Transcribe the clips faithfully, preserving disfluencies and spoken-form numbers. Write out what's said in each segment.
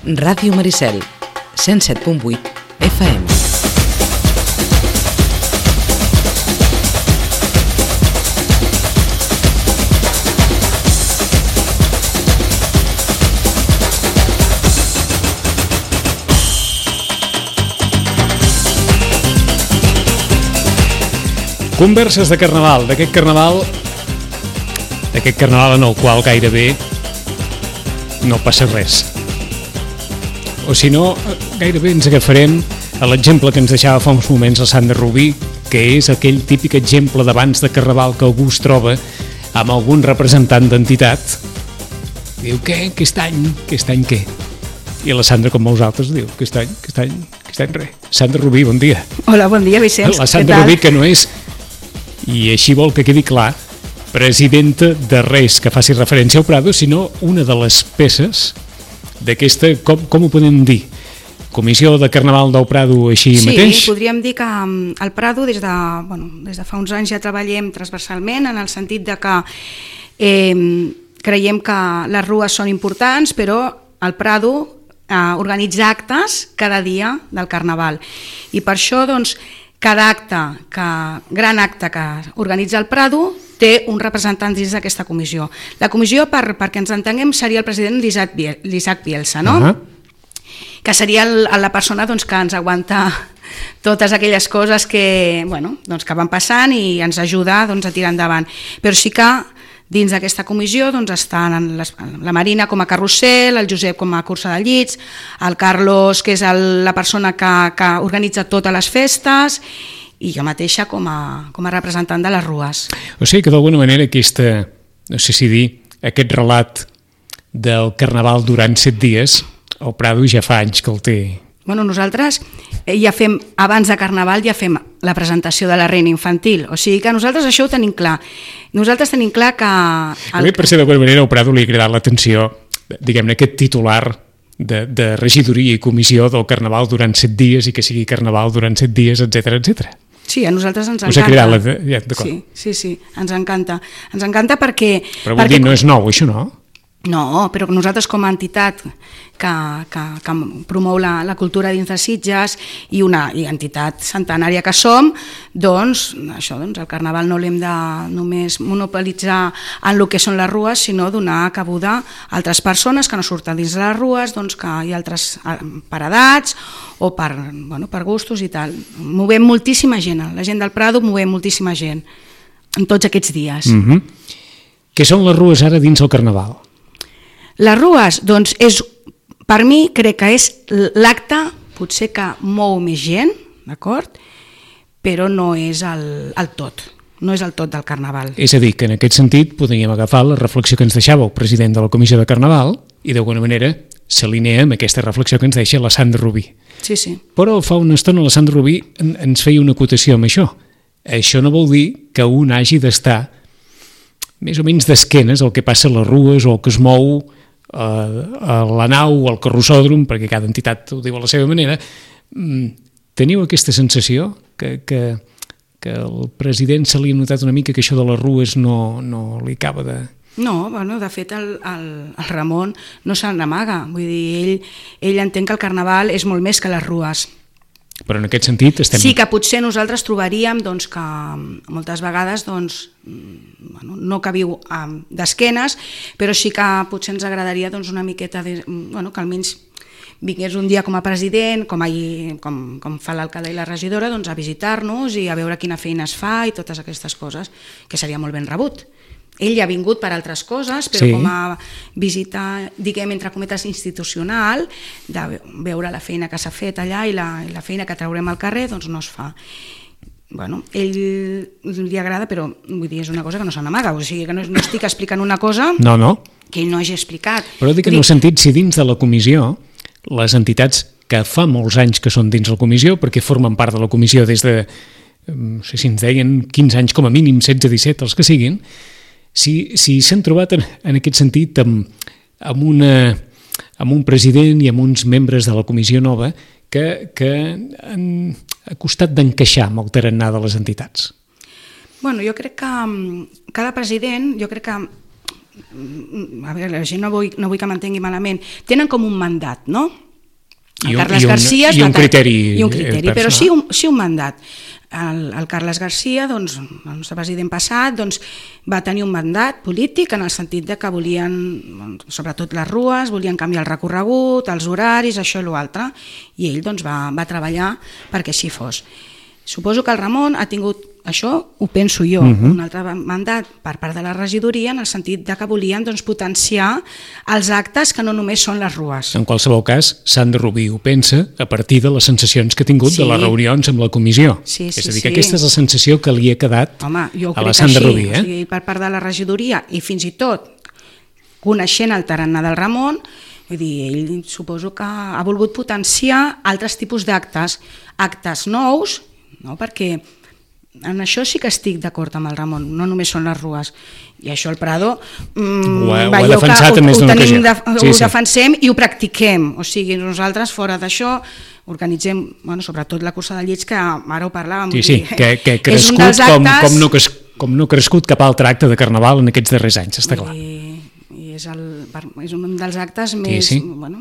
Ràdio Maricel, cent set punt vuit F M. Converses de carnaval, d'aquest carnaval d'aquest carnaval en el qual gairebé no passa res. O si no, gairebé ens agafarem a l'exemple que ens deixava fa uns moments la Sandra Rubí, que és aquell típic exemple d'abans de carnaval que algú es troba amb algun representant d'entitat. Diu, què? Aquest any? Aquest any què? I la Sandra, com molts altres, diu, aquest any? Aquest any? Aquest any res. Sandra Rubí, bon dia. Hola, bon dia, Vicenç. La Sandra Rubí, que no és... I així vol que quedi clar, presidenta de res que faci referència al Prado, sinó una de les peces d'aquesta, com, com ho podem dir? Comissió de Carnaval del Prado així sí, mateix? Sí, podríem dir que el Prado des de, bueno, des de fa uns anys ja treballem transversalment en el sentit de que eh, creiem que les rues són importants, però el Prado eh, organitza actes cada dia del Carnaval. I per això, doncs, cada acte, que, gran acte que organitza el Prado té un representant dins d'aquesta comissió. La comissió, per, perquè ens entenguem, seria el president l'Isaac Bielsa, no? Uh-huh. Que seria el, la persona doncs, que ens aguanta totes aquelles coses que, bueno, doncs, que van passant i ens ajuda doncs, a tirar endavant. Però sí que dins d'aquesta comissió doncs, estan les, la Marina com a carrusel, el Josep com a cursa de llits, el Carlos, que és el, la persona que, que organitza totes les festes, i jo mateixa com a, com a representant de les rues. O sigui que d'alguna manera aquesta, no sé si dir, aquest relat del Carnaval durant set dies, el Prado ja fa anys que el té. Bueno, nosaltres ja fem, abans de Carnaval ja fem la presentació de la reina infantil, o sigui que nosaltres això ho tenim clar. Nosaltres tenim clar que... El... A mi, per ser d'alguna manera, al Prado li ha cridat l'atenció, diguem-ne, aquest titular de, de regidoria i comissió del Carnaval durant set dies i que sigui Carnaval durant set dies, etcètera, etcètera. Sí, a nosaltres ens Us encanta. ha cridat la... Ja, sí, sí, sí, ens encanta. Ens encanta perquè... Però vol perquè... dir, no és nou, això, no? No, però nosaltres com a entitat que, que, que promou la, la cultura dins de Sitges i una i entitat centenària que som, doncs, això, doncs el Carnaval no l'hem de només monopolitzar en el que són les rues, sinó donar cabuda a altres persones que no surten dins de les rues, doncs que hi ha altres per edats o per, bueno, per gustos i tal. Movem moltíssima gent, la gent del Prado movem moltíssima gent en tots aquests dies. Mm-hmm. Què són les rues ara dins el Carnaval? Les rues, doncs, és, per mi crec que és l'acte potser que mou més gent, d'acord? Però no és el, el tot, no és el tot del Carnaval. És a dir, que en aquest sentit podríem agafar la reflexió que ens deixava el president de la Comissió de Carnaval i d'alguna manera s'alinea amb aquesta reflexió que ens deixa la Sandra Rubí. Sí, sí. Però fa una estona la Sandra Rubí ens feia una acotació amb això. Això no vol dir que un hagi d'estar més o menys d'esquenes al que passa a les rues o el que es mou a la nau o al carrossòdrom, perquè cada entitat ho diu a la seva manera. Teniu aquesta sensació que, que, que el president se li ha notat una mica que això de les rues no, no li acaba de... No, bueno, de fet el, el, el Ramon no se n'amaga, vull dir, ell, ell entén que el Carnaval és molt més que les rues. Però en aquest sentit estem... Sí que potser nosaltres trobaríem doncs, que moltes vegades doncs, bueno, no que viu um, d'esquenes, però sí que potser ens agradaria doncs, una miqueta de, bueno, que almenys vingués un dia com a president, com, ahir, com, com fa l'alcalde i la regidora, doncs, a visitar-nos i a veure quina feina es fa i totes aquestes coses, que seria molt ben rebut. Ell ha vingut per altres coses, però sí, com a visita, diguem, entre cometes, institucional, de veure la feina que s'ha fet allà i la, i la feina que traurem al carrer, doncs no es fa. Bueno, ell li agrada, però vull dir, és una cosa que no se n'amaga, o sigui que no, no estic explicant una cosa no, no. que ell no hagi explicat. Però dic en el sentit, si dins de la comissió, les entitats que fa molts anys que són dins la comissió, perquè formen part de la comissió des de, no sé si ens deien, quinze anys com a mínim, setze, disset, els que siguin, si si s'han trobat en, en aquest sentit amb, amb, una, amb un president i amb uns membres de la comissió nova que, que han ha costat d'encaixar amb el tarannà de les entitats. Bueno, jo crec que cada president, jo crec que a veure, la gent no vull, no vull que m'entengui malament, tenen com un mandat, no? El I un, Carles i un, Garcia i un criteri, i un criteri personal. però sí un, sí un mandat. El, el Carles Garcia, doncs, el nostre president passat, doncs, va tenir un mandat polític en el sentit de que volien, sobretot les rues, volien canviar el recorregut, els horaris, això i l'altre, i ell doncs, va, va treballar perquè així fos. Suposo que el Ramon ha tingut, això ho penso jo, uh-huh. un altre mandat per part de la regidoria en el sentit de que volien doncs, potenciar els actes que no només són les rues. En qualsevol cas, Sandra Rubí ho pensa a partir de les sensacions que ha tingut sí. de les reunions amb la comissió. Sí, sí, és a dir, sí. que aquesta és la sensació que li ha quedat Home, jo ho a la crec Sandra així, Rubí. Eh? O sigui, per part de la regidoria i fins i tot coneixent el tarannà del Ramon, vull dir, ell suposo que ha volgut potenciar altres tipus d'actes, actes nous, no? Perquè en això sí que estic d'acord amb el Ramon, no només són les rues. I això el Prado mmm, ho ha, ho ha veieu defensat que a més ho, ho, d'una tenim ocasió. De, Sí, ho sí. defensem i ho practiquem. O sigui, nosaltres fora d'això organitzem, bueno, sobretot la cursa de llits, que ara ho parlàvem. Sí, sí, dir, que, que ha és un crescut dels com, actes, com, no, cres- com no ha crescut cap altre acte de Carnaval en aquests darrers anys, està clar. I, i és, el, és un dels actes més, sí. bueno,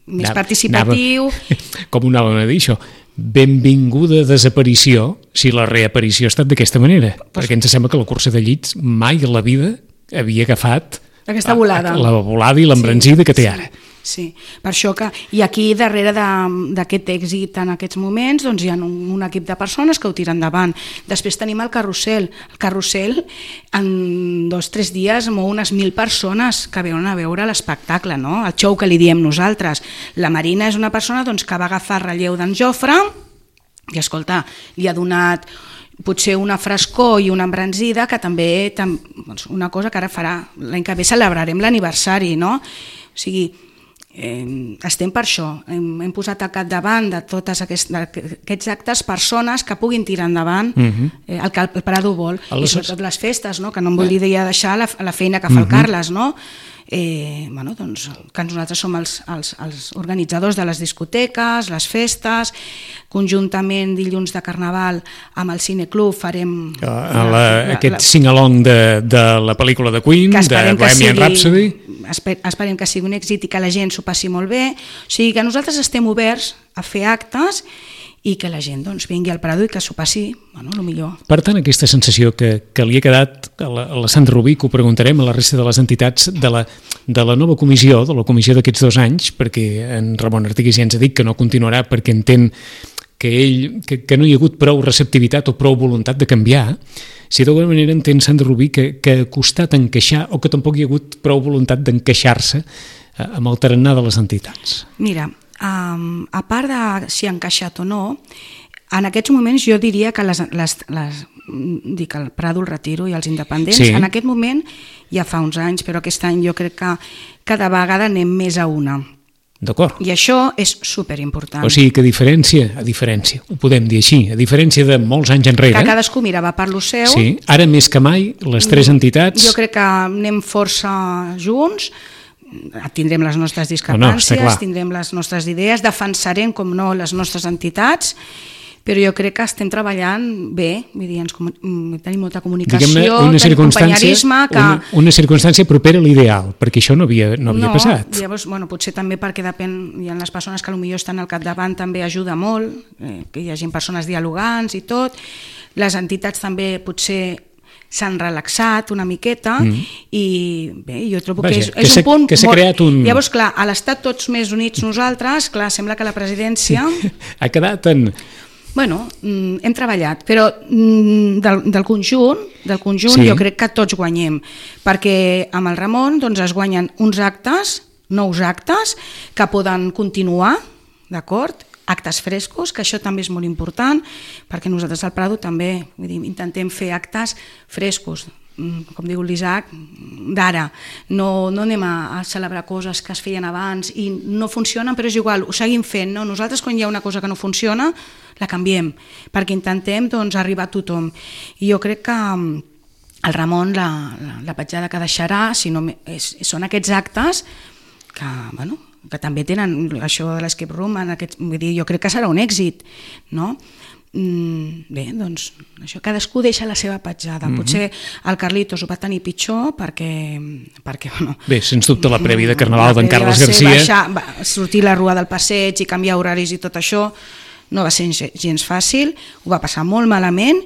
més Anava- participatiu. anava- Com ho anàvem a dir, això? Benvinguda desaparició si la reaparició ha estat d'aquesta manera, pues, perquè ens sembla que la cursa de llits mai a la vida havia agafat aquesta volada. la volada i l'embranzida sí, que té sí, ara. Sí, per això que... I aquí, darrere de- d'aquest èxit en aquests moments, doncs hi ha un, un equip de persones que ho tiren endavant. Després tenim el carrusel. El carrusel, en dos o tres dies, mou unes mil persones que veuen a veure l'espectacle, no? El show que li diem nosaltres. La Marina és una persona doncs, que va agafar el relleu d'en Jofre i, escolta, li ha donat potser una frescor i una embranzida que també, tam, doncs, una cosa que ara farà, l'any que ve celebrarem l'aniversari, no? O sigui, Eh, estem per això, hem, hem posat al capdavant de tots aquests, aquests actes persones que puguin tirar endavant uh-huh. eh, el que el Prado vol, Aleshores... i sobretot les festes, no? Que no em vull dir ja deixar la, la feina que fa uh-huh. el Carles, no? Eh, bueno, doncs, que nosaltres som els, els, els organitzadors de les discoteques, les festes, conjuntament dilluns de Carnaval amb el Cineclub farem la, la, la, aquest sing-along de, de la pel·lícula de Queen, de Bohemian Rhapsody. Esper, esperem que sigui un èxit i que la gent s'ho passi molt bé, o sigui que nosaltres estem oberts a fer actes i que la gent doncs, vingui al Prado i que s'ho passi, bueno, el millor. Per tant, aquesta sensació que, que li ha quedat a la, a la Sandra Rubí, que ho preguntarem a la resta de les entitats de la, de la nova comissió, de la comissió d'aquests dos anys, perquè en Ramon Artigas ja ens ha dit que no continuarà perquè entén que, ell, que, que no hi ha hagut prou receptivitat o prou voluntat de canviar, si d'alguna manera entén Sandra Rubí que, que ha costat encaixar o que tampoc hi ha hagut prou voluntat d'encaixar-se amb el tarannà de les entitats. Mira, Um, a part de si ha encaixat o no, en aquests moments jo diria que les, les, les, dic el Prado, el Retiro i els independents, sí. En aquest moment ja fa uns anys, però aquest any jo crec que cada vegada anem més a una. D'acord. I això és superimportant. O sigui que a diferència, a diferència, ho podem dir així, a diferència de molts anys enrere... Que cadascú mirava per lo seu. Sí, ara més que mai, les tres entitats... Jo crec que anem força junts, tindrem les nostres discrepàncies, no, no, tindrem les nostres idees, defensarem, com no, les nostres entitats, però jo crec que estem treballant bé, vull dir, ens tenim molta comunicació, una tenim companyerisme... Que... Una, una circumstància propera a l'ideal, perquè això no havia, no havia no, passat. Llavors, bueno, potser també perquè depèn, hi ha les persones que potser estan al capdavant també ajuda molt, eh, que hi hagi persones dialogants i tot, les entitats també potser s'han relaxat una miqueta mm. i bé, jo trobo Vaja, que és, és que un punt que s'ha creat un... Llavors, clar, a l'estat tots més units nosaltres, clar, sembla que la presidència... Sí. Ha quedat en... Bueno, hem treballat, però del, del conjunt, del conjunt sí. Jo crec que tots guanyem, perquè amb el Ramon doncs, es guanyen uns actes, nous actes, que poden continuar, d'acord?, actes frescos, que això també és molt important, perquè nosaltres al Prado també vull dir, intentem fer actes frescos, com diu l'Isaac, d'ara. No, no anem a, a celebrar coses que es feien abans i no funcionen, però és igual, ho seguim fent. No? Nosaltres, quan hi ha una cosa que no funciona, la canviem, perquè intentem doncs, arribar a tothom. I jo crec que el Ramon, la, la, la petjada que deixarà, si no, és, són aquests actes que, bueno, que també tenen això de l'escape room, en aquest, vull dir, jo crec que serà un èxit, no? mm, bé, doncs això, cadascú deixa la seva petjada. Mm-hmm. Potser el Carlitos ho va tenir pitjor perquè... perquè bueno, bé, sens dubte la prèvia de Carnaval d'en Carles Garcia... Baixar, va, sortir la rua del passeig i canviar horaris i tot això no va ser gens fàcil, ho va passar molt malament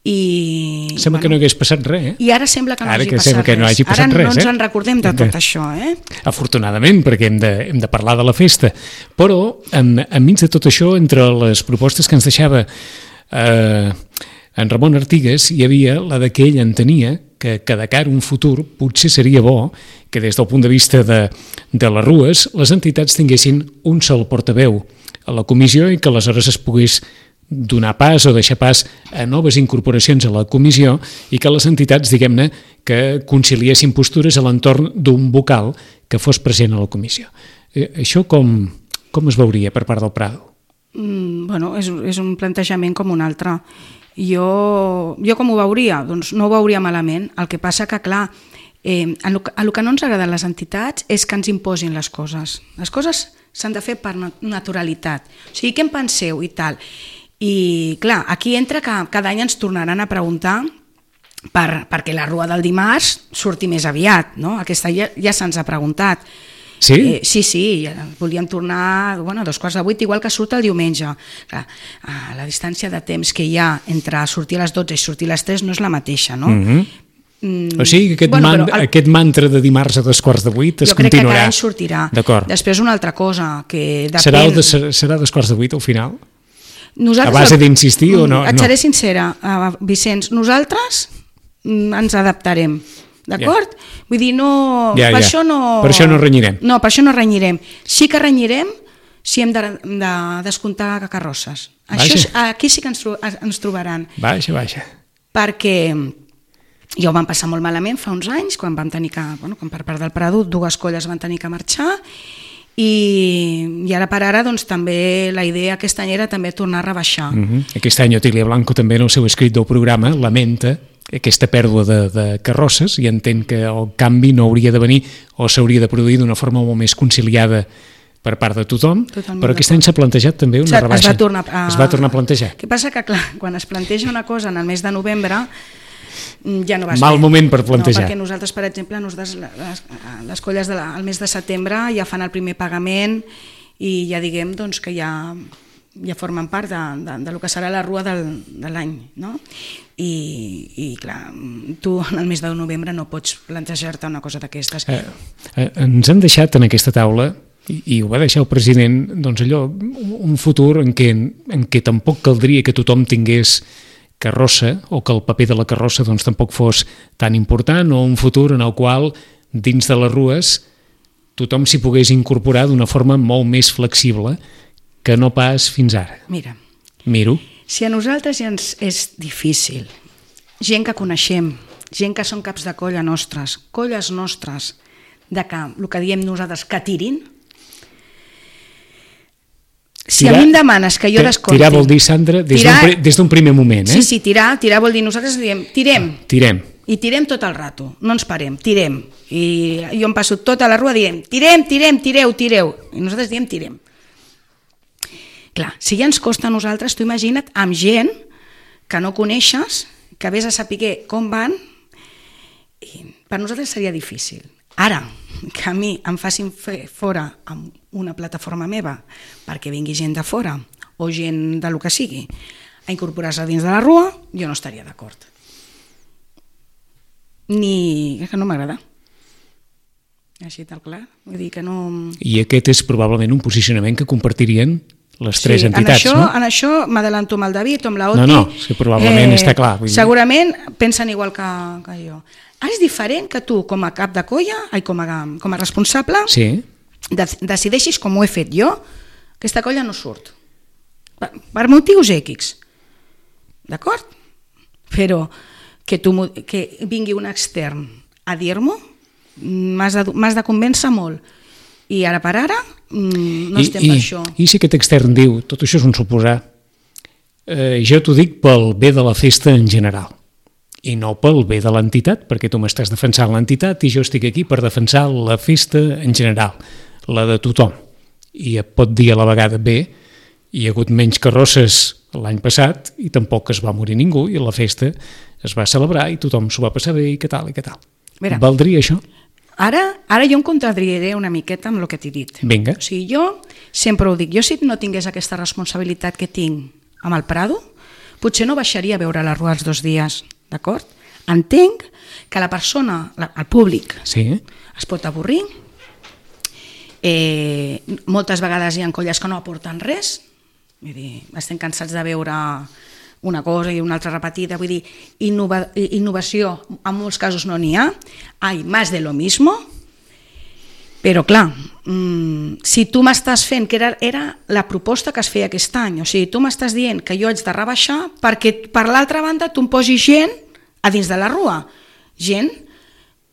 i... Sembla bueno, que no hagués passat res, eh? I ara sembla que no, ara hagi, que passat que no hagi passat ara res. Ara no ens eh? en recordem de tot això, eh? Afortunadament, perquè hem de, hem de parlar de la festa. Però, en, enmig de tot això, entre les propostes que ens deixava eh, en Ramon Artigas, hi havia la de que ell entenia que, que de cara a un futur potser seria bo que des del punt de vista de, de les rues les entitats tinguessin un sol portaveu a la comissió i que aleshores es pogués donar pas o deixar pas a noves incorporacions a la comissió i que les entitats, diguem-ne, que conciliessin postures a l'entorn d'un vocal que fos present a la comissió. Eh, això com, com es veuria per part del Prado? Mm, bueno, és, és un plantejament com un altre. Jo, jo com ho veuria? Doncs no ho veuria malament. El que passa que, clar, eh, a lo, a lo que no ens agraden les entitats és que ens imposin les coses. Les coses s'han de fer per naturalitat. O sigui, què en penseu i tal? I clar, aquí entra que cada any ens tornaran a preguntar per, perquè la rua del dimarts surti més aviat, no? Aquesta ja, ja se'ns ha preguntat. Sí? Eh, sí, sí, volíem tornar bueno, a dos quarts de vuit, igual que surt el diumenge. Clar, la distància de temps que hi ha entre sortir a les dotze i sortir a les tres no és la mateixa, no? Mm-hmm. Mm, o sigui que aquest, bueno, man, el, aquest mantra de dimarts a dos quarts de vuit es continuarà. Jo crec que cada any sortirà. D'acord. Després una altra cosa que depèn... Serà, de, serà dos quarts de vuit al final? Nosaltres, a base d'insistir o no? Et seré no. sincera, uh, Vicenç, nosaltres mm, ens adaptarem, d'acord? Yeah. Vull dir, no, yeah, per, yeah. Això no, per això no renyirem. No, per això no renyirem. Sí que renyirem si hem de, de descomptar carrosses. Això, aquí sí que ens, ens trobaran. Baixa, baixa. Perquè ja ho vam passar molt malament fa uns anys, quan vam tenir que, bueno, quan per part del Prado dues colles van tenir que marxar, i, i ara per ara doncs, també la idea aquest any era també tornar a rebaixar. Mm-hmm. Aquest any Otília Blanco també en el seu escrit del programa lamenta aquesta pèrdua de, de carrosses i entén que el canvi no hauria de venir o s'hauria de produir d'una forma molt més conciliada per part de tothom, totalment però aquest any s'ha plantejat també una rebaixa. Es va tornar a, es va tornar a plantejar. El que passa que, clar, quan es planteja una cosa en el mes de novembre ja no va ser. Mal moment per plantejar. No, perquè nosaltres, per exemple, nosaltres, les, les colles del de mes de setembre ja fan el primer pagament i ja diguem doncs, que ja, ja formen part de, de, de lo que serà la rua del, de l'any, no? I, i clar, tu en el mes de novembre no pots plantejar-te una cosa d'aquestes. Eh, eh, ens han deixat en aquesta taula i, i ho va deixar el president, doncs allò, un futur en què, en què tampoc caldria que tothom tingués carrossa o que el paper de la carrossa doncs, tampoc fos tan important o un futur en el qual dins de les rues tothom s'hi pogués incorporar d'una forma molt més flexible que no pas fins ara. Mira, Miro. Si a nosaltres ja ens és difícil, gent que coneixem, gent que són caps de colla nostres, colles nostres, de que el que diem nosaltres que tirin, si tirar, a mi em demanes que jo descompti... Tirar vol dir, Sandra, des d'un primer moment, eh? Sí, sí, tirar, tirar vol dir, nosaltres diem, tirem. Tirem. I tirem tot el rato, no ens parem, tirem. I jo em passo tota la rua dient, tirem, tirem, tireu, tireu. I nosaltres diem, tirem. Clar, si ja ens costa a nosaltres, tu imagina't amb gent que no coneixes, que vés a saber com van, i per nosaltres seria difícil. Ara, que a mi em facin fer fora amb una plataforma meva perquè vingui gent de fora o gent de lo que sigui a incorporar-se dins de la rua, jo no estaria d'acord. Ni... és que no m'agrada. Així tal clar. Vull dir que no... I aquest és probablement un posicionament que compartirien les tres sí, entitats, en això, no? En això m'adelanto amb el David o amb la Oti. No, no, sí, probablement eh, està clar. Vull dir. Segurament pensen igual que, que jo. Ara és diferent que tu, com a cap de colla, ai, com, a, com a responsable, sí. de, decideixis, com ho he fet jo, aquesta colla no surt. Per, per motius èquics. D'acord? Però que, tu, que vingui un extern a dir-m'ho, m'has de, m'has de convèncer molt. I ara per ara no I, estem i, per això. I si aquest extern diu, tot això és un suposar, eh, jo t'ho dic pel bé de la festa en general. I no pel bé de l'entitat, perquè tu m'estàs defensant l'entitat i jo estic aquí per defensar la festa en general, la de tothom. I et pot dir a la vegada bé hi ha hagut menys carrosses l'any passat i tampoc es va morir ningú i la festa es va celebrar i tothom s'ho va passar bé i què tal, i què tal. Mira, Valdria això? Ara, ara jo em contradiré una miqueta amb el que t'he dit. Vinga. O sigui, jo sempre ho dic, jo si no tingués aquesta responsabilitat que tinc amb el Prado, potser no baixaria a veure la rua els dos dies, d'acord? Entenc que la persona, la, el públic, Sí. es pot avorrir, eh, moltes vegades hi ha colles que no aporten res, vull dir, estem cansats de veure una cosa i una altra repetida, vull dir, innova, innovació en molts casos no n'hi ha, hay más de lo mismo, però clar, mmm, si tu m'estàs fent, que era, era la proposta que es feia aquest any, o sigui, tu m'estàs dient que jo haig de rebaixar perquè per l'altra banda tu em posis gent a dins de la rua, gent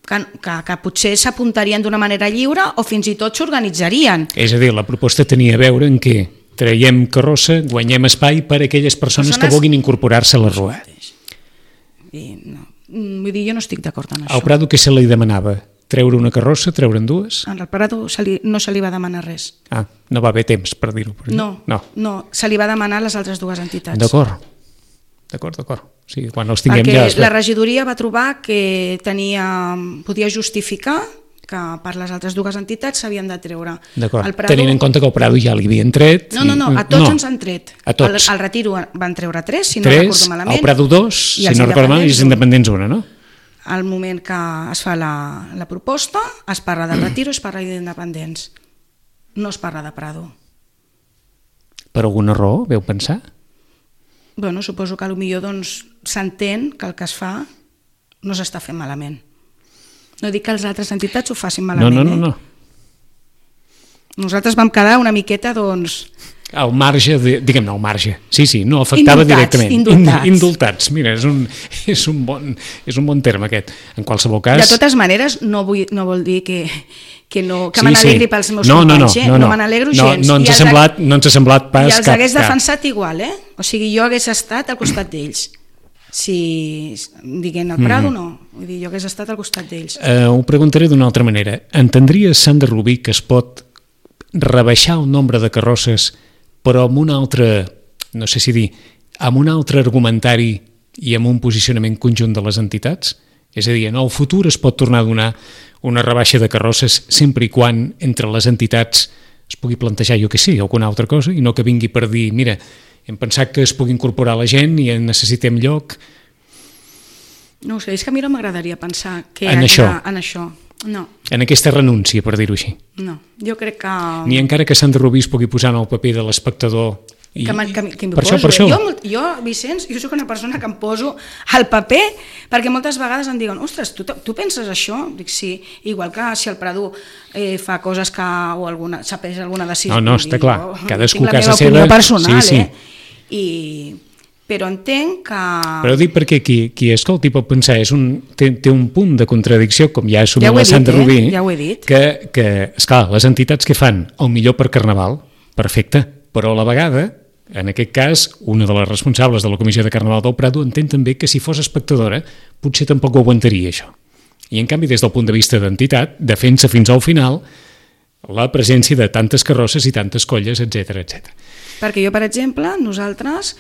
que, que, que potser s'apuntarien d'una manera lliure o fins i tot s'organitzarien. És a dir, la proposta tenia a veure en què traiem carrossa, guanyem espai per a aquelles persones, persones... que vulguin incorporar-se a la rua. I no, vull dir, jo no estic d'acord amb això. Al Prado què se li demanava? Treure una carrossa, treure'n dues? Al Prado se li, no se li va demanar res. Ah, no va haver temps per dir-ho. Per no, no, no, se li va demanar a les altres dues entitats. D'acord, d'acord, d'acord. O sigui, quan els tinguem Perquè ja... Es... la regidoria va trobar que tenia, podia justificar que per les altres dues entitats s'havien de treure. D'acord, Prado... tenint en compte que al Prado ja li havien tret... No, no, no, a tots no. ens han tret. A tots. Al, al Retiro van treure tres, si no tres, recordo malament. Al Prado dos, si no recordo malament, i els independents una, no? Al moment que es fa la, la proposta, es parla del Retiro, es parla d'independents. No es parla de Prado. Per alguna raó, veu pensar? Bueno, suposo que potser doncs, s'entén que el que es fa no s'està fent malament. No dic que les altres entitats ho facin malament. No, no, no. no. Eh? Nosaltres vam quedar una miqueta, doncs... Al marge, de, diguem-ne, al marge. Sí, sí, no afectava indultats, directament. Indultats. Indultats. Mira, és un, és, un bon, és un bon terme aquest. En qualsevol cas... De totes maneres, no, vull, no vol dir que, que, no, que sí, me n'alegri sí. pels meus no, companys, no, no, eh? no, no me n'alegro no, gens. No ens, ha semblat, no ens ha semblat pas I els cap... hagués cap. defensat igual, eh? O sigui, jo hagués estat al costat d'ells. Si diguem el Prado, mm. no. Vull dir, jo hagués estat al costat d'ells. Uh, ho preguntaré d'una altra manera. Entendries, Sandra Rubí, que es pot rebaixar el nombre de carrosses però amb un altre, no sé si dir, amb un altre argumentari i amb un posicionament conjunt de les entitats? És a dir, en el futur es pot tornar a donar una rebaixa de carrosses sempre i quan entre les entitats es pugui plantejar, jo que sé, alguna altra cosa, i no que vingui per dir, mira, hem pensat que es pugui incorporar la gent i necessitem lloc. No ho sé, és que a mi no m'agradaria pensar que en això. De, en això. No. En aquesta renúncia, per dir-ho així. No, jo crec que... Ni encara que Sandra Rubí es pugui posar en el paper de l'espectador. I, que, que, que per poso, això, per això. Jo, jo, Vicenç, jo soc una persona que em poso al paper perquè moltes vegades em diuen, ostres, tu, tu penses això? Dic, sí, igual que si el Prado eh, fa coses que o alguna, s'ha pres alguna decisió. No, no, està clar, cadascú tinc la casa meva seva... opinió personal, sí, sí. eh? I... Però entenc que... Però dic perquè qui, qui escolti pot pensar, és un, té, té un punt de contradicció, com ja ha assumit ja la Sandra dit, Rubí, eh? ja ho he dit. que, que, esclar, les entitats que fan el millor per Carnaval, perfecte, però a la vegada, en aquest cas, una de les responsables de la Comissió de Carnaval del Prado entén també que si fos espectadora potser tampoc ho aguantaria, això. I en canvi, des del punt de vista d'entitat, defensa fins al final la presència de tantes carrosses i tantes colles, etcètera, etcètera. Perquè jo, per exemple, nosaltres...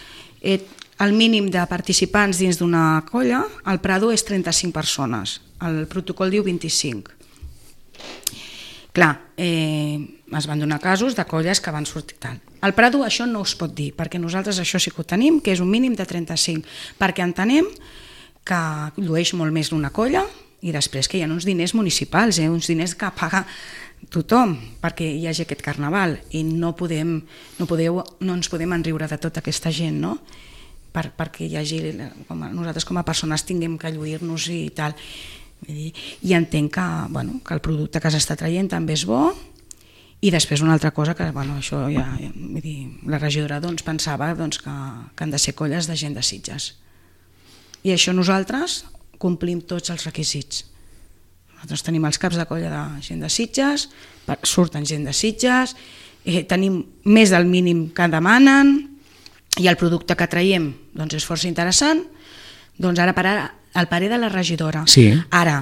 Eh, el mínim de participants dins d'una colla, al Prado és trenta-cinc persones, el protocol diu vint-i-cinc. Clar, eh, es van donar casos de colles que van sortir tal. Al Prado això no es pot dir, perquè nosaltres això sí que ho tenim, que és un mínim de trenta-cinc, perquè entenem que llueix molt més d'una colla i després que hi ha uns diners municipals, eh, uns diners que paga tothom perquè hi hagi aquest carnaval i no, podem, no, podeu, no ens podem enriure de tota aquesta gent, no? Per, perquè hi hagi, com a, nosaltres com a persones tinguem que lluir-nos i tal. I entenc que, bueno, que el producte que s'està traient també és bo i després una altra cosa que, bueno, això ja, vull dir, la regidora doncs, pensava doncs, que, que han de ser colles de gent de Sitges. I això nosaltres complim tots els requisits. Nosaltres tenim els caps de colla de gent de Sitges, surten gent de Sitges, eh, tenim més del mínim que demanen, i el producte que traiem doncs és força interessant, doncs ara per ara el parer de la regidora. Sí. Ara,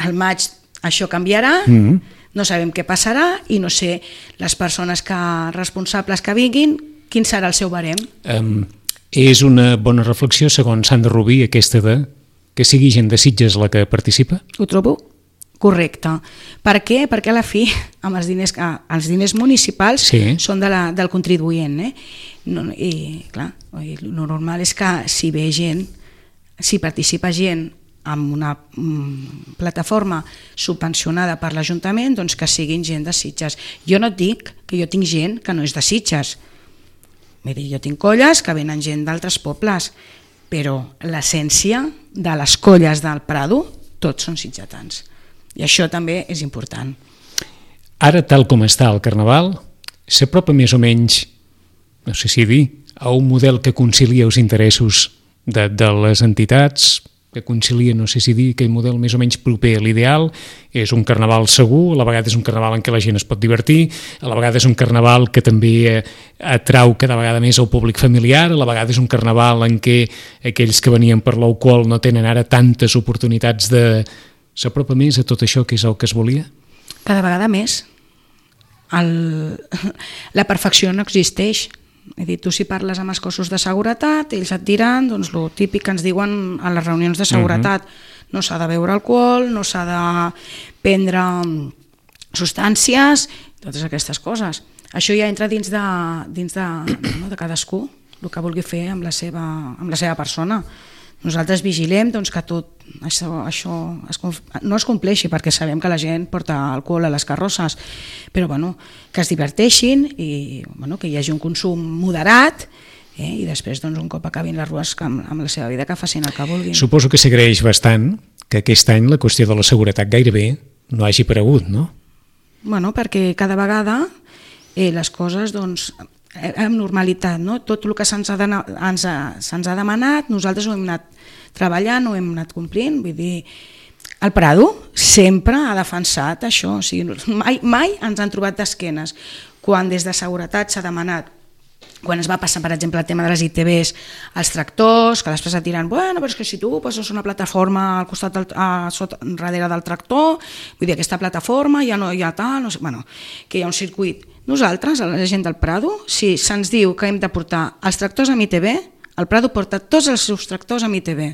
al maig això canviarà, mm-hmm. no sabem què passarà i no sé les persones que, responsables que vinguin quin serà el seu barem? Um, és una bona reflexió, segons Sandra Rubí, aquesta de que sigui gent de Sitges la que participa? Ho trobo correcte. Per què? Perquè a la fi, amb els diners, els diners municipals sí. són de la, del contribuent. Eh? No, I clar, el normal és que si ve gent, si participa gent amb una mm, plataforma subvencionada per l'Ajuntament, doncs que siguin gent de Sitges. Jo no et dic que jo tinc gent que no és de Sitges. Vull dir, jo tinc colles que venen gent d'altres pobles, però l'essència de les colles del Prado, tots són sitgetans. I això també és important. Ara, tal com està el Carnaval, s'apropa més o menys, no sé si dir, a un model que concilia els interessos de, de les entitats, que concilia, no sé si dir, aquell model més o menys proper a l'ideal. És un Carnaval segur, a la vegada és un Carnaval en què la gent es pot divertir, a la vegada és un Carnaval que també atrau cada vegada més el públic familiar, a la vegada és un Carnaval en què aquells que venien per l'alcohol no tenen ara tantes oportunitats de... S'apropa més a tot això que és el que es volia? Cada vegada més. El... La perfecció no existeix. He dit, tu si parles amb els cossos de seguretat, ells et diran doncs, el típic que ens diuen a les reunions de seguretat. Uh-huh. No s'ha de beure alcohol, no s'ha de prendre substàncies, totes aquestes coses. Això ja entra dins de, dins de, no, de cadascú, el que vulgui fer amb la seva, amb la seva persona. Nosaltres vigilem doncs, que tot això, això es, no es compleixi, perquè sabem que la gent porta alcohol a les carrosses, però bueno, que es diverteixin i bueno, que hi hagi un consum moderat, eh, i després doncs, un cop acabin les rues amb, amb la seva vida que facin el que vulguin. Suposo que s'agraeix bastant que aquest any la qüestió de la seguretat gairebé no hagi aparegut, no? Bueno, perquè cada vegada eh, les coses doncs, amb normalitat, no? Tot el que se'ns ha, ens ha, se'ns ha demanat, nosaltres ho hem anat treballant, ho hem anat complint, vull dir, el Prado sempre ha defensat això, o sigui, mai, mai ens han trobat d'esquenes. Quan des de seguretat s'ha demanat, quan es va passar, per exemple, el tema de les I T Bs, els tractors, que després et diran, bueno, però és que si tu poses una plataforma al costat del, a, sota, darrere del tractor, vull dir, aquesta plataforma ja no hi ha tal, no sé, bueno, que hi ha un circuit. Nosaltres, a la gent del Prado, si se'ns diu que hem de portar els tractors amb I T B, el Prado porta tots els seus tractors amb I T B.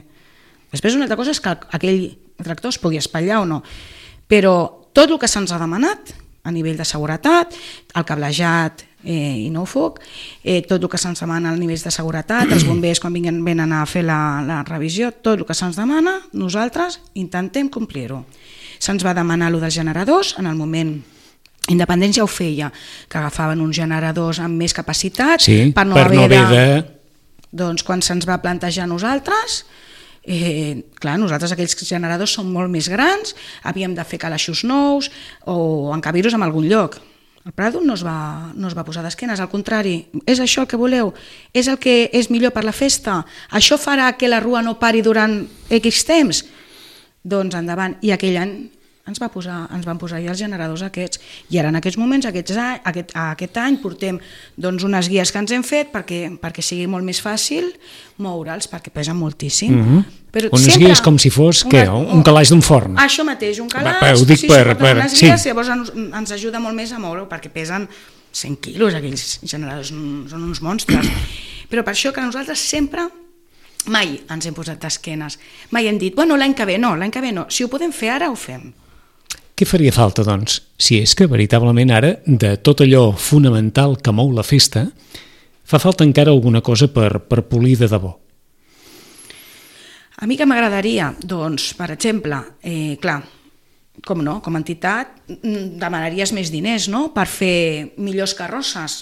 Després una altra cosa és que aquell tractor es pugui espatllar o no, però tot el que se'ns ha demanat a nivell de seguretat, el cablejat eh, i no foc, eh, tot el que se'ns demana a nivells de seguretat, els bombers quan vinguen, venen a fer la, la revisió, tot el que se'ns demana, nosaltres intentem complir-ho. Se'ns va demanar allò dels generadors, en el moment Independència ho feia, que agafaven uns generadors amb més capacitat sí, per no per haver no de... de... Doncs quan se'ns va plantejar a nosaltres, eh, clar, nosaltres aquells generadors són molt més grans, havíem de fer calaixos nous o encabir-los en algun lloc. El Prado no es va, no es va posar d'esquenes, al contrari, és això el que voleu? És el que és millor per la festa? Això farà que la rua no pari durant X temps? Doncs endavant, i aquell any ens, va posar, ens van posar ja els generadors aquests, i ara en aquests moments, aquests any, aquest, aquest any, portem doncs, unes guies que ens hem fet perquè, perquè sigui molt més fàcil moure'ls, perquè pesen moltíssim. Mm-hmm. Però unes sempre, guies com si fos una, què, un calaix d'un forn. Això mateix, un calaix, va, ho dic sí, per, per, unes sí. guies, llavors ens, ens ajuda molt més a moure perquè pesen cent quilos, aquells generadors són uns monstres. Però per això que nosaltres sempre mai ens hem posat d'esquenes, mai hem dit, bueno, l'any que ve no, l'any que ve no, si ho podem fer ara, ho fem. Què faria falta, doncs, si és que veritablement ara, de tot allò fonamental que mou la festa, fa falta encara alguna cosa per, per polir de debò? A mi que m'agradaria? Doncs, per exemple, eh, clar, com no, com a entitat demanaries més diners, no?, per fer millors carrosses.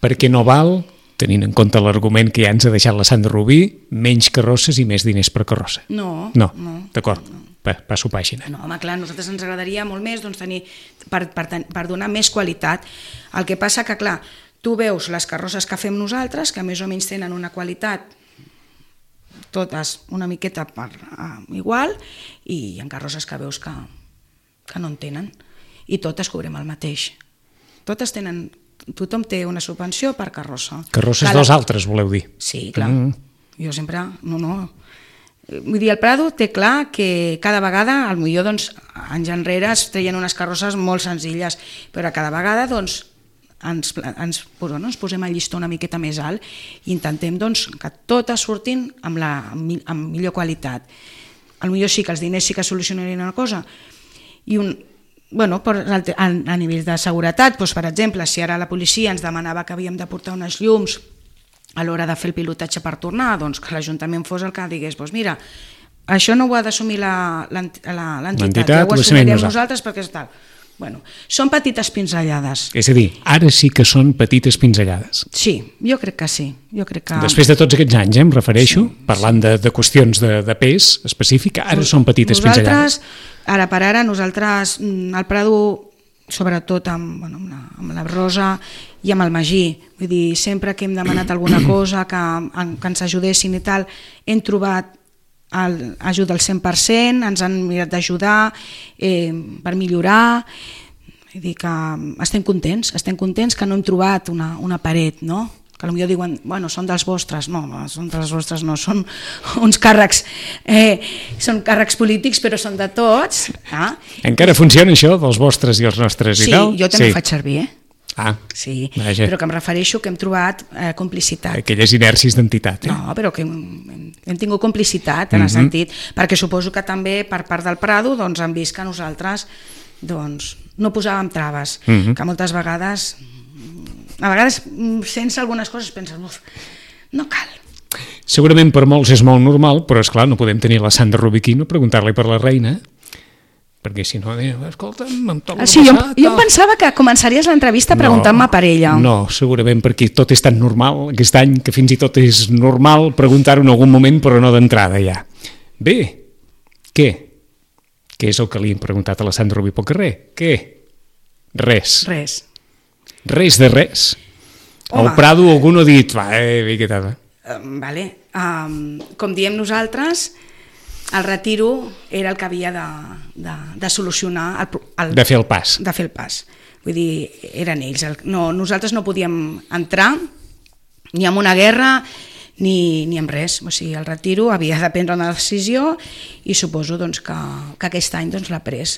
Perquè no val, tenint en compte l'argument que ja ens ha deixat la Sandra Rubí, menys carrosses i més diners per carrossa. No. No, no d'acord. No. Passo pàgina. No, home, clar, a nosaltres ens agradaria molt més doncs, tenir, per, per, per donar més qualitat. El que passa que, clar, tu veus les carrosses que fem nosaltres, que més o menys tenen una qualitat totes una miqueta per, uh, igual, i hi ha carrosses que veus que, que no en tenen, i totes cobrem el mateix. Totes tenen, tothom té una subvenció per carrossa. Carrosses dels altres, voleu dir? Sí, clar. Mm. Jo sempre, no, no... Vull dir, el Prado té clar que cada vegada, al millor doncs, anys enrere es treien unes carrosses molt senzilles, però cada vegada doncs, ens, ens, bueno, ens posem el llistó una miqueta més alt i intentem doncs, que totes surtin amb, la, amb millor qualitat. Potser sí que els diners sí que solucionarien una cosa. I un, bueno, per, a, a nivell de seguretat, doncs, per exemple, si ara la policia ens demanava que havíem de portar unes llums a l'hora de fer el pilotatge per tornar, doncs que l'Ajuntament fos el que digués, doncs mira, això no ho ha d'assumir l'entitat, ja ho assumirem nosaltres perquè és tal. Bueno, són petites pinzellades. És a dir, ara sí que són petites pinzellades. Sí, jo crec que sí. Jo crec que... Després de tots aquests anys, eh, em refereixo, sí, parlant de, de qüestions de, de pes específic, ara Nos, són petites nosaltres, pinzellades. Ara per ara, nosaltres, al Prado, sobretot amb, bueno, amb, la, amb la Rosa i amb el Magí, vull dir, sempre que hem demanat alguna cosa, que, que ens ajudessin i tal, hem trobat el, ajuda al cent per cent, ens han mirat d'ajudar eh, per millorar, vull dir que estem contents, estem contents que no hem trobat una, una paret, no? Que potser diuen, bueno, són dels vostres, no, no són dels vostres, no, són uns càrrecs, eh, són càrrecs polítics, però són de tots. Eh? Encara funciona això, dels vostres i els nostres sí, i tal? Sí, jo també sí. ho faig servir, eh? Ah, sí, vaja. Però que em refereixo que hem trobat eh, complicitat. Aquelles inèrcies d'entitat. Eh? No, però que hem, hem tingut complicitat en mm-hmm. el sentit, perquè suposo que també per part del Prado doncs, han vist que nosaltres doncs, no posàvem traves, mm-hmm. que moltes vegades, a vegades sense algunes coses penses, no cal. Segurament per molts és molt normal, però és clar, no podem tenir la Sandra Rubiquino, preguntar-li per la reina, perquè si no, escolta'm, em torno ah, sí, a passar... Jo, jo em pensava que començaries l'entrevista preguntant-me no, per ella. No, segurament perquè tot és tan normal aquest any que fins i tot és normal preguntar-ho en algun moment, però no d'entrada ja. Bé, què? Què és el que li hem preguntat a la Sandra Rubí pel carrer? Què? Res. Res. Res de res. Home. Al Prado algú no ha dit, va, eh, bé, què tal? Uh, vale. Um, com diem nosaltres, el retiro era el que havia de, de, de solucionar el, el, de fer el pas de fer el pas, vull dir, eren ells el, no, nosaltres no podíem entrar ni en una guerra ni, ni en res, o sigui, el retiro havia de prendre una decisió i suposo doncs, que, que aquest any doncs, l'ha pres.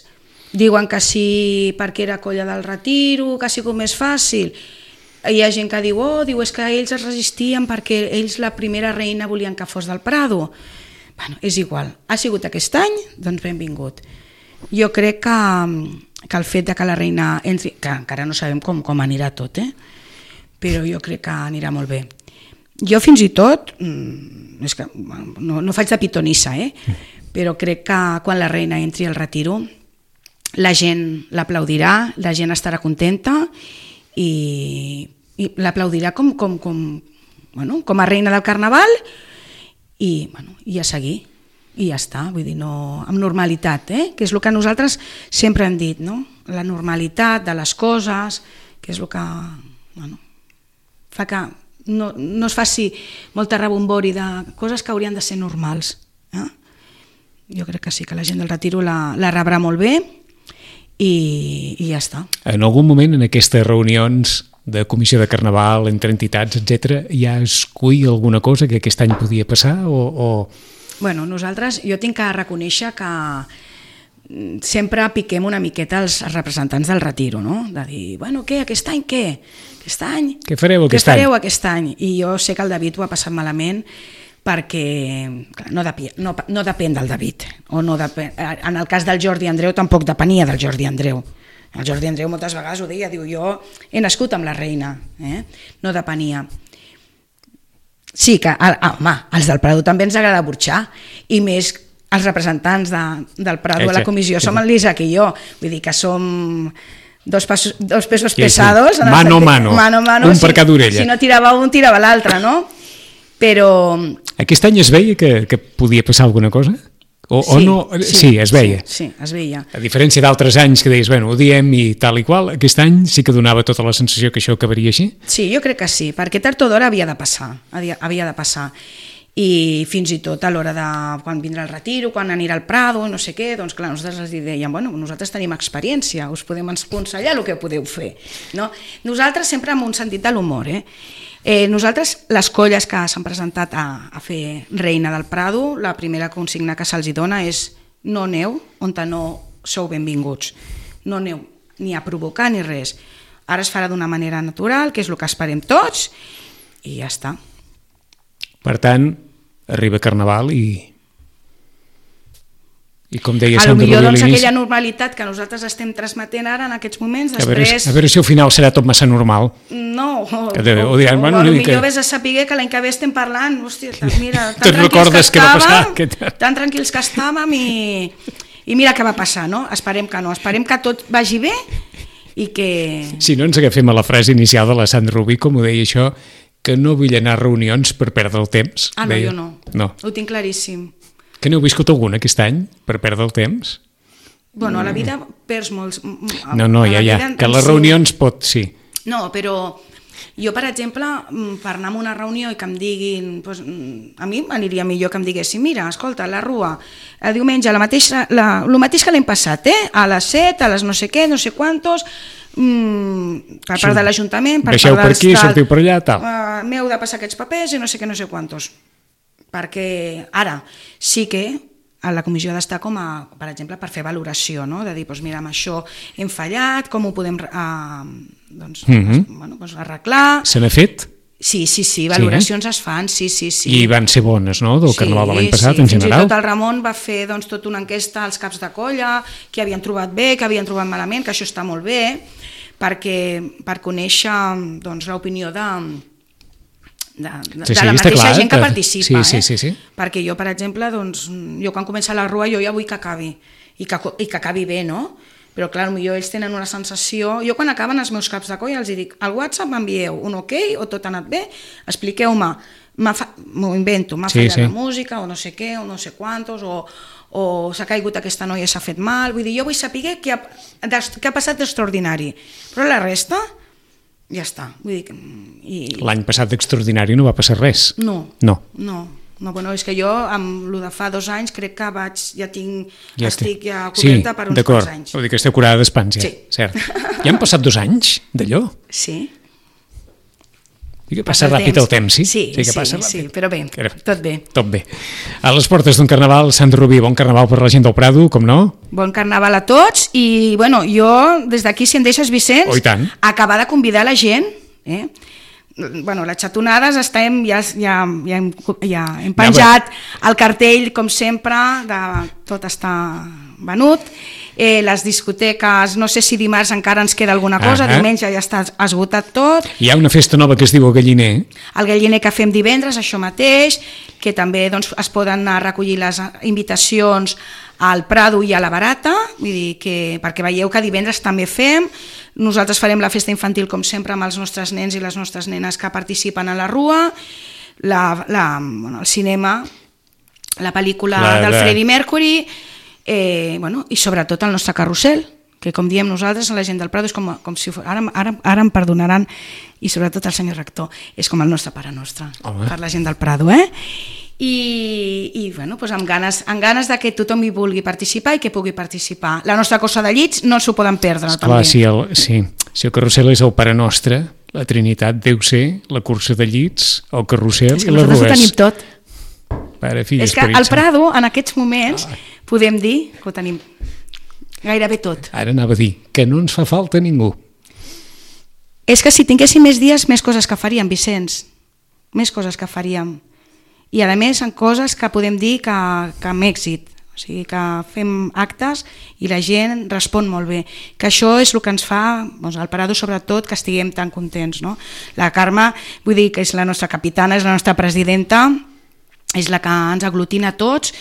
Diuen que sí perquè era colla del retiro, que ha sigut més fàcil. Hi ha gent que diu, oh, diu, és que ells es resistien perquè ells la primera reina volien que fos del Prado. Bueno, és igual, ha sigut aquest any, doncs benvingut. Jo crec que, que el fet de que la reina entri, que encara no sabem com, com anirà tot, eh? Però jo crec que anirà molt bé. Jo fins i tot, és que no, no faig de pitonissa, eh? Però crec que quan la reina entri al retiro, la gent l'aplaudirà, la gent estarà contenta i, i l'aplaudirà com, com, com, bueno, com a reina del Carnaval, i, bueno, i a seguir, i ja està, vull dir, no, amb normalitat, eh? Que és el que nosaltres sempre hem dit, no? La normalitat de les coses, que és el que bueno, fa que no, no es faci molta rebombori de coses que haurien de ser normals. Eh? Jo crec que sí, que la gent del retiro la, la rebrà molt bé i, i ja està. En algun moment en aquestes reunions de comissió de Carnaval, entre entitats, etcètera, ja es cull alguna cosa que aquest any podia passar? O, o... Bueno, nosaltres, jo tinc que reconèixer que sempre piquem una miqueta els representants del retiro, no? De dir, bueno, què, aquest any què? Aquest any? Què fareu aquest què fareu any? aquest any? I jo sé que el David ho ha passat malament perquè clar, no, depi, no, no depèn del David. O no depèn, en el cas del Jordi Andreu tampoc depenia del Jordi Andreu. El Jordi Andreu moltes vegades ho deia, diu, jo he nascut amb la reina, eh? No depenia. Sí que, ah, home, els del Prado també ens agrada burxar, i més els representants de, del Prado a la comissió, som el l'Isaac i jo, vull dir que som dos, pasos, dos pesos sí, pesados. Sí. Mano a mano, mano, mano, un si, per cada orella. Si no tirava un, tirava l'altre, no? Però... Aquest any es veia que, que podia passar alguna cosa? O, sí, o no? Sí, sí, es veia. Sí, sí, es veia. A diferència d'altres anys que deies, bueno, ho diem i tal i qual, aquest any sí que donava tota la sensació que això acabaria així? Sí, jo crec que sí, perquè tard o d'hora havia de passar, havia, havia de passar. I fins i tot a l'hora de quan vindrà el retiro, quan anirà al Prado, no sé què, doncs clar, nosaltres els dèiem, bueno, nosaltres tenim experiència, us podem aconsellar el que podeu fer. No? Nosaltres sempre amb un sentit de l'humor, eh? Eh, nosaltres, les colles que s'han presentat a, a fer reina del Prado, la primera consigna que se'ls dona és no aneu on no sou benvinguts, no aneu ni a provocar ni res. ara es farà d'una manera natural, que és el que esperem tots, i ja està. Per tant, arriba Carnaval i... I com deia A lo Sandra millor, Rubí a doncs, l'inici... aquella normalitat que nosaltres estem transmetent ara en aquests moments, A veure, després... a veure si al final serà tot massa normal. No, o, Que de- o o, diran, o, bueno, a una lo mica- millor vés a saber que l'any que ve estem parlant, hòstia, mira, tan Te'n tranquils recordes que què va passar? estàvem, Què- tan tranquils que estàvem i, i mira què va passar, no? Esperem que no, esperem que tot vagi bé i que... Si no ens agafem a la frase inicial de la Sandra Rubí, com ho deia això, que no vull anar a reunions per perdre el temps. Ah, no, deia. jo no. No. Ho tinc claríssim. Que n'heu viscut alguna aquest any per perdre el temps? Bueno, a la vida perds molts... No, no, a ja, la ja. vida en- Que en les si- reunions pot, sí. No, però jo, per exemple, mm, per anar a una reunió i que em diguin... Doncs, mm, a mi m'aniria millor que em diguessin, mira, escolta, la Rua, el diumenge, la mateixa, la, el mateix que l'hem passat, eh? A les set, a les no sé què, no sé quantos, mm, per part de l'Ajuntament, per Baixeu part per dels aquí, tal, sortiu per allà, tal. Uh, M'heu de passar aquests papers i no sé què, no sé quantos. Perquè ara sí que a la comissió ha d'estar com a, per exemple, per fer valoració, no? De dir, doncs mira, amb això hem fallat, com ho podem uh, doncs, Mhm. es, bueno, doncs arreglar... Se n'ha fet? Sí, sí, sí, valoracions es fan, sí, sí, sí. I van ser bones, no?, del Carnaval de l'any passat, sí. en Fins general. i tot el Ramon va fer doncs, tota una enquesta als caps de colla, que havien trobat bé, que havien trobat malament, que això està molt bé, perquè, per conèixer doncs, l'opinió de, de, de, Sí, sí, de la està mateixa clar, gent que que- participa. sí, sí, eh? sí, sí. Perquè jo, per exemple, doncs, jo quan comença la Rua jo ja vull que acabi, i que, i que acabi bé, no? Però clar, potser ells tenen una sensació... Jo quan acaben els meus caps de colla els dic, al WhatsApp m'envieu un ok o tot ha anat bé, expliqueu-me, m'ho fa... invento, m'ha Sí, fallat sí. la música o no sé què, o no sé quantos, o, o s'ha caigut aquesta noia i s'ha fet mal, vull dir, jo vull saber què ha, què ha passat d'extraordinari, però la resta ja està, vull dir, i... L'any passat d'extraordinari no va passar res. No, No. no, no, bueno, és que jo amb el de fa dos anys crec que vaig, ja tinc, Ja estic té- ja coberta per uns d'acord. quants anys. Vull dir que esteu curada d'espans, ja. Sí. Cert. Ja han passat dos anys d'allò? Sí. I que passa ràpid el temps, sí? Sí, que sí, passa sí, ràpid. però bé, Era- tot bé. Tot bé. A les portes d'un carnaval, Sandra Rubí, bon carnaval per la gent del Prado, com no? Bon carnaval a tots i, bueno, jo, des d'aquí, si em deixes, Vicenç, Oh, i tant. acabar de convidar la gent, eh? Bueno, les xatonades estem, ja, ja, ja, hem, ja hem penjat el cartell, com sempre, de, tot està venut. Eh, les discoteques, no sé si dimarts encara ens queda alguna cosa, Ah, ah. diumenge ja està esgotat tot. Hi ha una festa nova que es diu el Galliner. El galliner que fem divendres, això mateix, que també doncs, es poden anar a recollir les invitacions al Prado i a la Barata, vull dir que, perquè veieu que divendres també fem. Nosaltres farem la festa infantil, com sempre, amb els nostres nens i les nostres nenes que participen a la Rua, la, la, bueno, el cinema, la pel·lícula La- del la- Freddie Mercury, eh, bueno, i sobretot el nostre carrusel, que com diem nosaltres, la gent del Prado és com, com si fos, ara, ara, ara em perdonaran, i sobretot el senyor rector, és com el nostre pare nostre, Home. per la gent del Prado, eh? I, i bueno, doncs amb, ganes, amb ganes de que tothom hi vulgui participar i que pugui participar. La nostra cosa de llits no s'ho poden perdre, Esclar, també. si el, sí. si el carrusel és el Pare Nostre, la Trinitat deu ser la cursa de llits, el carrusel És que i les nosaltres ho rues. tenim tot. Pare, fill, És que Esperit al Sant. Prado, en aquests moments, podem dir que ho tenim gairebé tot. Ara anava a dir que no ens fa falta ningú. És que si tinguéssim més dies, més coses que faríem, Vicenç. Més coses que faríem. I a més, en coses que podem dir que, que amb èxit. O sigui, que fem actes i la gent respon molt bé. Que això és el que ens fa, doncs, al Prado sobretot, que estiguem tan contents. No? La Carme, vull dir que és la nostra capitana, és la nostra presidenta, és la que ens aglutina a tots.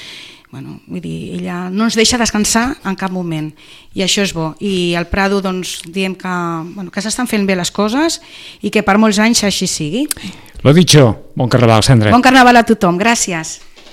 Bueno, vull dir, ella no ens deixa descansar en cap moment i això és bo, i al Prado doncs, diem que, bueno, que s'estan fent bé les coses i que per molts anys així sigui. Lo dicho, bon carnaval, Sandra. Bon carnaval a tothom, gràcies.